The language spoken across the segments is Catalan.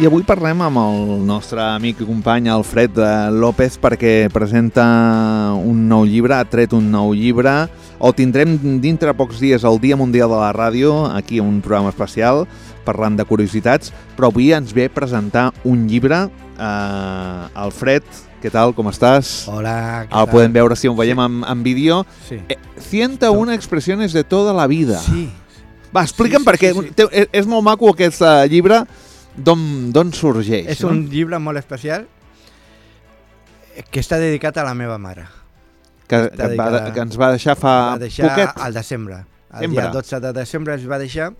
I avui parlem amb el nostre amic i company Alfred López perquè presenta un nou llibre, ha tret un nou llibre. El tindrem dintre pocs dies al Dia Mundial de la Ràdio, aquí en un programa especial, parlant de curiositats, però avui ens ve a presentar un llibre. Alfred, què tal, com estàs? Hola, què tal? El podem veure si ho veiem en vídeo. Sí. 101 expressiones de toda la vida. Sí. Va, explica'm perquè és molt maco aquest llibre. D'on sorgeix? És un llibre molt especial que està dedicat a la meva mare. Que ens va deixar fa poquet? Al desembre. El dia 12 de desembre es va deixar.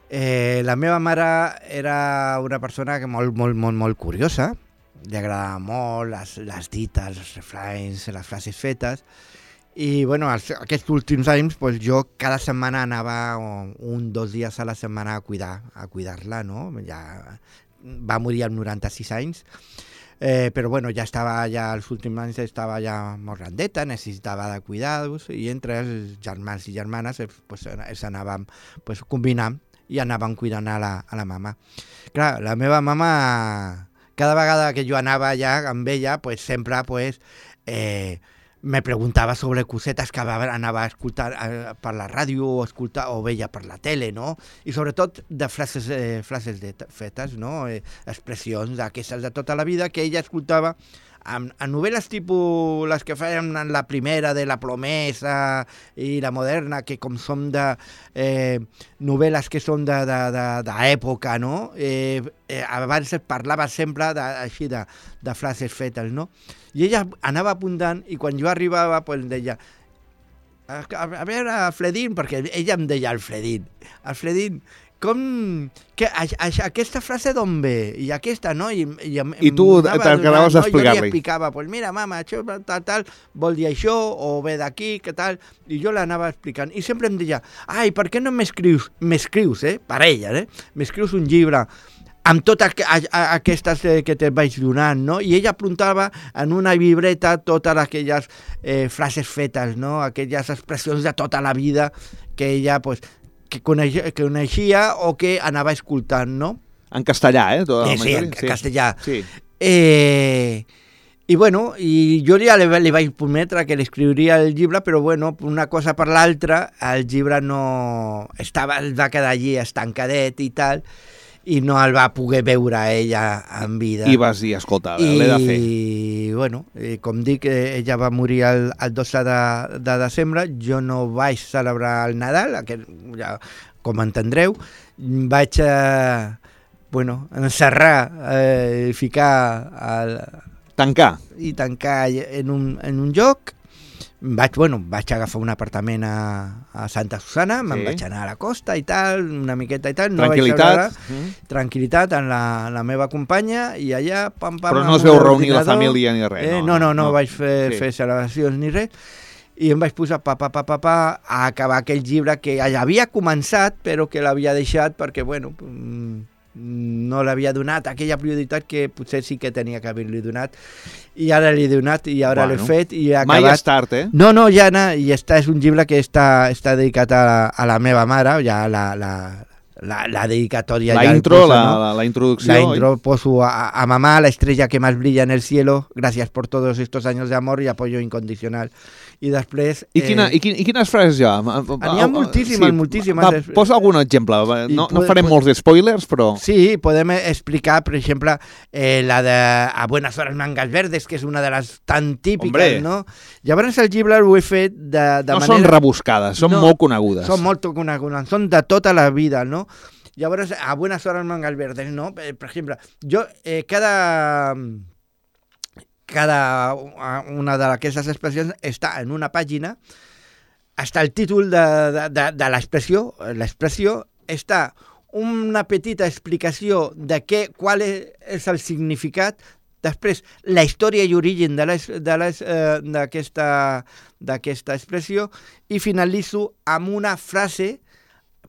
La meva mare era una persona que molt curiosa. Li agradava molt les dites, els refranys, les frases fetes. I bueno, aquests últims anys pues, jo cada setmana anava 1-2 dies a la setmana a cuidar-la, no? Ja va morir als 96 anys, però bueno, els últims anys estava ja molt grandeta, necessitava de cuidar-los, i entre els germans i germanes pues, els anàvem pues, combinant i anàvem cuidant a la mama. Clar, la meva mama, cada vegada que jo anava ja amb ella, pues, sempre pues, me preguntava sobre cosetes que anava a escoltar per la ràdio o veia per la tele, no? I sobretot de frases fetes, no? Expressions d'aquestes de tota la vida que ella escoltava en novel·les tipus les que feien en la primera de la promesa i la moderna, que com són de novel·les que són d'època, no? Abans es parlava sempre així de frases fetes, no? I ella anava apuntant i quan jo arribava pues, em deia a veure, Alfredín, perquè ella em deia Alfredín, aquesta frase d'on ve? I aquesta, no? I tu t'acabaves d'explicar-li. Jo li explicava, pues mira, mama, això tal, vol dir això, o ve d'aquí, què tal, i jo l'anava explicant. I sempre em deia, ai, per què no m'escrius, per ella, m'escrius un llibre amb totes aquestes que te vaig donant, no? I ella apuntava en una llibreta totes aquelles frases fetes, no? Aquelles expressions de tota la vida que ella, pues, que coneixia o que anava escoltant, no? En castellà, Sí, en castellà. Sí. I bueno, i jo ja li vaig prometre que l'escriuria el llibre, però bueno, una cosa per l'altra, el llibre no va quedar allí estancadet i tal, i no el va poder veure ella en vida. I vas dir, escolta, l'he de fer. I bueno, com dic, ella va morir el 12 de desembre, jo no vaig celebrar el Nadal, ja, com entendreu, vaig encerrar, ficar... Tancar en un lloc. Vaig agafar un apartament a Santa Susana, me'n vaig anar a la costa i tal, una miqueta i tal. Tranquil·litat en la meva companya, i allà... Però no es veu reunir la família ni res. No vaig fer celebracions ni res. I em vaig posar a acabar aquell llibre que ja havia començat, però que l'havia deixat perquè, bueno... no l'havia donat aquella prioritat que potser sí que tenia que haver-li donat, i ara l'he donat i ara l'he fet i he acabat. Mai és tard, No, ja no, i és un llibre que està dedicat a la meva mare, ja la dedicatòria. La introducció. La intro poso a mamá, la estrella que más brilla en el cielo, gracias por todos estos años de amor y apoyo incondicional. I després... I quines frases hi ha? N'hi ha moltíssimes. Va, posa algun exemple. No farem molts spoilers, però... Sí, podem explicar, per exemple, la de A buenas horas mangas verdes, que és una de les tan típiques, no? Llavors el llibre ho he fet de manera... No són rebuscades, són molt conegudes. Són molt conegudes, són de tota la vida, no? Llavors, A buenas horas mangas verdes, no? Per exemple, jo cada una d'aquestes expressions està en una pàgina, està el títol de l'expressió, està una petita explicació de qual és el significat, després la història i origen d'aquesta expressió, i finalitzo amb una frase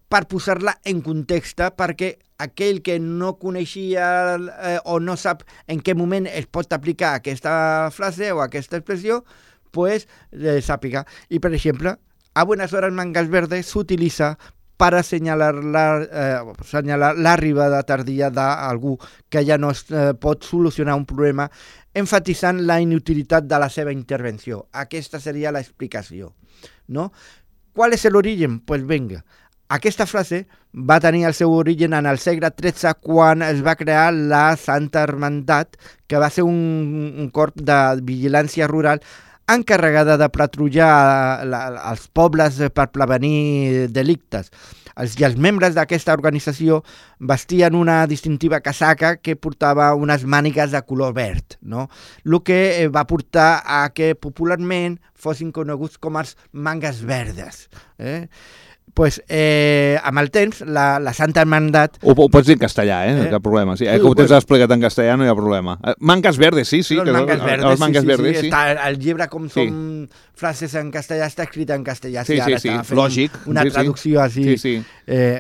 per posar-la en context, perquè aquell que no coneixia o no sap en què moment es pot aplicar aquesta frase o aquesta expressió, pues sàpiga. I, per exemple, A buenas horas mangas verdes s'utilitza per assenyalar l'arribada tardia d'algú que ja no pot solucionar un problema, enfatitzant la inutilitat de la seva intervenció. Aquesta seria l'explicació, no? ¿Cuál es el origen? Pues venga, aquesta frase va tenir el seu origen en el segle XIII quan es va crear la Santa Hermandat, que va ser un corp de vigilància rural encarregada de patrullar els pobles per prevenir delictes. I els membres d'aquesta organització vestien una distintiva casaca que portava unes mànigues de color verd, no? El que va portar a que popularment fossin coneguts com els mangas verdes. Pues, amb el temps, la Santa Hermandat... Ho pots dir en castellà, no hi ha cap problema. Sí. Com ho tens explicat en castellà, no hi ha problema. Mangas verdes, sí. Els mangas verdes, sí. El llibre, com són frases en castellà, està escrit en castellà. Sí, lògic. Una traducció así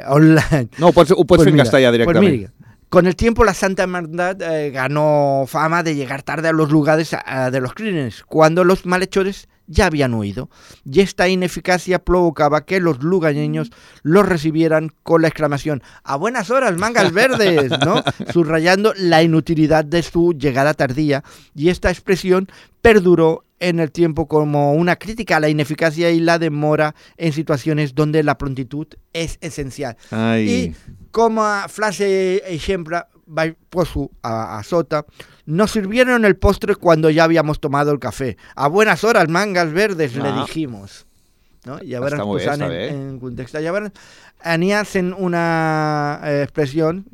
online. No, ho pots fer en castellà directament. Pues mira, con el tiempo la Santa Hermandad ganó fama de llegar tarde a los lugares de los crímenes, cuando los malhechores ya habían huido, y esta ineficacia provocaba que los lugareños los recibieran con la exclamación «¡A buenas horas, mangas verdes!», ¿no? Subrayando la inutilidad de su llegada tardía, y esta expresión perduró en el tiempo como una crítica a la ineficacia y la demora en situaciones donde la prontitud es esencial. Ai. I com a frase ejemplo, poso a sota, nos sirvieron el postre cuando ya habíamos tomado el café. A buenas horas, mangas verdes, le dijimos. ¿No? Llavors, posant en context. Llavors, anía en una expresión,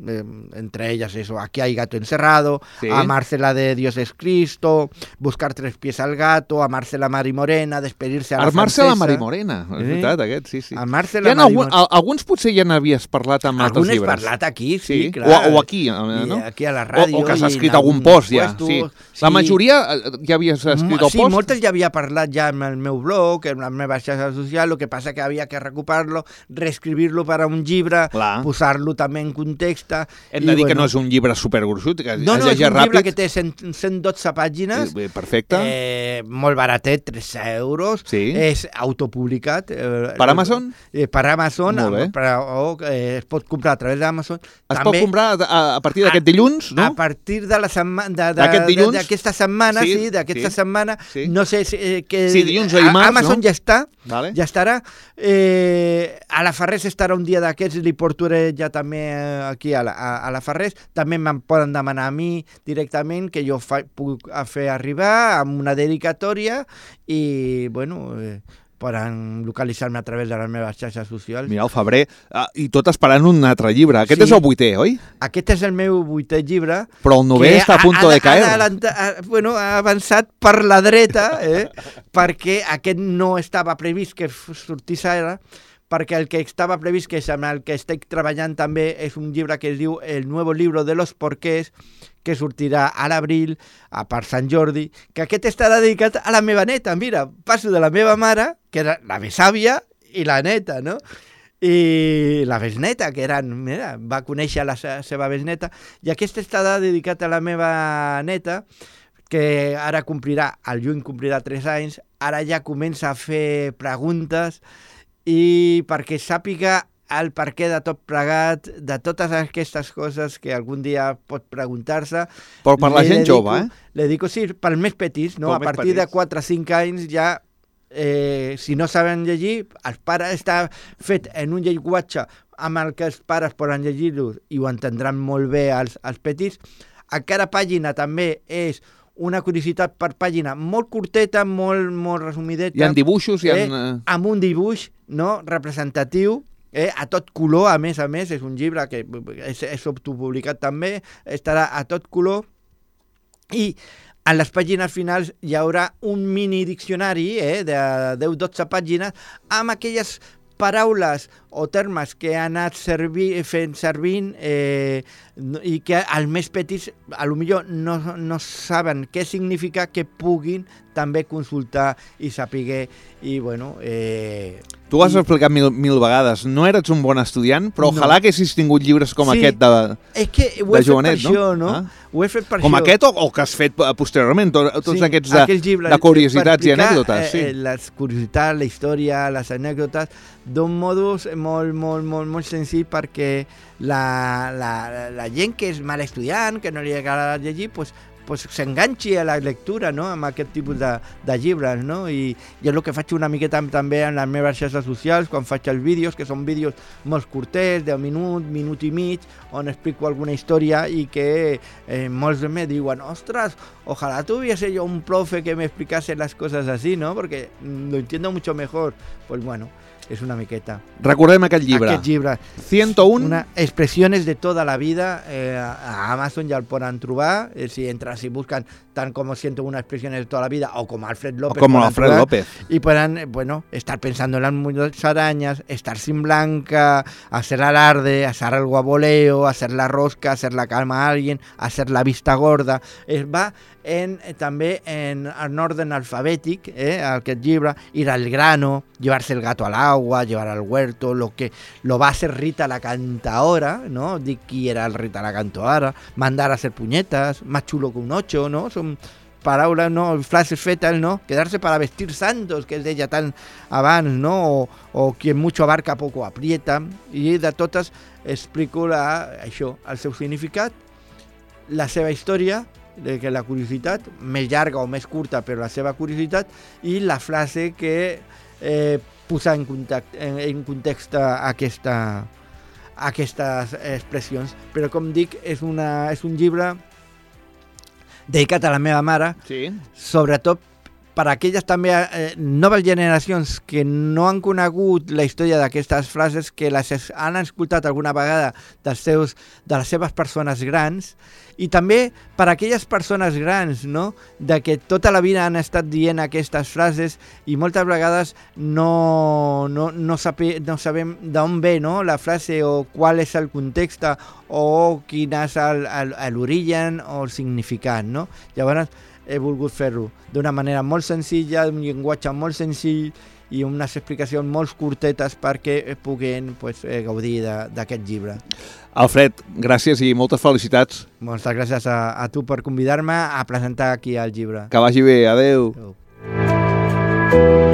entre ellas eso, aquí hay gato encerrado, sí. Amarse la de Dios es Cristo, buscar tres pies al gato, amarse la Marimorena, despedirse a la Armar-se francesa. la Marimorena, és veritat, aquest, sí. Amarse la Marimorena. Alguns potser ja n'havies parlat amb altres llibres. Alguns parlat aquí, sí, clar. O aquí, no? Aquí a la ràdio. O que s'ha escrit algun post ja, sí. La majoria ja havies escrit el post? Sí, moltes ja havia parlat ja en el meu blog, en la meva xarxa social, lo que passa que havia que recuperar-lo, reescribir-lo per a un llibre, posar-lo també en context. Hem de dir que no és un llibre supergruixut, que no, és un llibre que té 112 pàgines. Perfecte. Molt baratet, 13 euros. Sí. És autopublicat. Per Amazon? Per Amazon. Molt bé. Es pot comprar a través d'Amazon. Es pot comprar a partir d'aquest dilluns, no? A partir de la setmana... D'aquesta setmana, sí, d'aquesta setmana. No sé si... Sí, dilluns o dimarts, Amazon ja està. Vale. Ja estarà. A la Ferrés estarà un dia d'aquests, li portaré ja també aquí a la Ferrés. També me'n poden demanar a mi directament, que jo puc fer arribar amb una dedicatòria i, bueno, poden localitzar-me a través de les meves xarxes socials. Mira, el febrer, i tot esperant un altre llibre. Aquest és el 8è, oi? Aquest és el meu 8è llibre. Però el 9è està a punt de caer. Ha avançat per la dreta, perquè aquest no estava previst que sortís ara, perquè el que estava previst, que és amb el que estic treballant també, és un llibre que es diu El nuevo libro de los porqués, que sortirà a l'abril, per Sant Jordi, que aquest està dedicat a la meva neta. Mira, passo de la meva mare, que era la besàvia, i la neta, no? I la besneta, que va conèixer la seva besneta, i aquest està dedicat a la meva neta, que ara al juny complirà 3 anys, ara ja comença a fer preguntes, i perquè sàpiga el perquè de tot plegat, de totes aquestes coses que algun dia pot preguntar-se. Però per la gent jove, Le dic, sí, pels més petits, no? A partir de 4 o 5 anys ja, si no saben llegir, els pares està fet en un llenguatge amb el que els pares poden llegir-ho i ho entendran molt bé els petits. A cada pàgina també és una curiositat per pàgina molt curteta, molt resumideta. Hi ha dibuixos? Amb un dibuix, no, representatiu, a tot color, a més, és un llibre que és autopublicat també, estarà a tot color, i en les pàgines finals hi haurà un mini diccionari de 10-12 pàgines amb aquelles paraules o termes que han anat fent servint i que els més petits potser no saben què significa, que puguin també consultar i saber. I bueno... Tu ho has explicat mil vegades. No eres un bon estudiant, però ojalà que haguessis tingut llibres com aquest de jovenet, no? Ho he fet per això. Com aquest o que has fet posteriorment, tots aquests de curiositats i anècdotes. Les curiositats, la història, les anècdotes, d'un modus molt senzill perquè la gent que és mal estudiant, que no li agrada llegir, pues s'enganxi a la lectura, no?, amb aquest tipus de llibres, no? I jo el que faig una miqueta també en les meves xarxes socials, quan faig els vídeos, que són vídeos molt curtets, 10 minuts, minut i mig, on explico alguna història i que molts me diuen, ostres, ojalá tuviese yo un profe que me explicase las cosas así, ¿no? Porque lo entiendo mucho mejor. Pues bueno, és una miqueta. Recordem aquest llibre. Aquest llibre. 101. Expressiones de toda la vida. A Amazon ja el poden trobar. Si entren, si buscan tant com 101 expresiones de toda la vida o com Alfred López. O como Alfred López. Y puedan, bueno, estar pensando en las musarañas, estar sin blanca, hacer alarde, hacer algo a voleo, hacer la rosca, hacer la calma a alguien, hacer la vista gorda. Va també en orden alfabètic, aquest llibre, ir al grano, llevarse el gato al agua, llevar al huerto, lo va a hacer Rita la cantaora, ¿no? Dic qui era el Rita la cantaora, mandar a hacer puñetas, más chulo que un 8, ¿no? Són paraules, no? Frases fetes, no? Quedarse para vestir santos, que es deia tant abans, no? O quien mucho abarca poco aprieta, i de totes explico això, el seu significat, la seva història, que la curiositat, més llarga o més curta, però la seva curiositat, i la frase que posa en context aquestes expressions. Però com dic, és un llibre dedicat a la meva mare, sí, sobretot per a aquelles també noves generacions que no han conegut la història d'aquestes frases, que les han escoltat alguna vegada de les seves persones grans, i també per a aquelles persones grans, no?, de que tota la vida han estat dient aquestes frases i moltes vegades no sabem d'on ve, no?, la frase o qual és el context o quin és l'origen o el significat, no? Llavors he volgut fer-ho d'una manera molt senzilla, d'un llenguatge molt senzill i unes explicacions molt curtetes perquè puguin gaudir d'aquest llibre. Alfred, gràcies i moltes felicitats. Moltes gràcies a tu per convidar-me a presentar aquí el llibre. Que vagi bé, adeu. Adeu.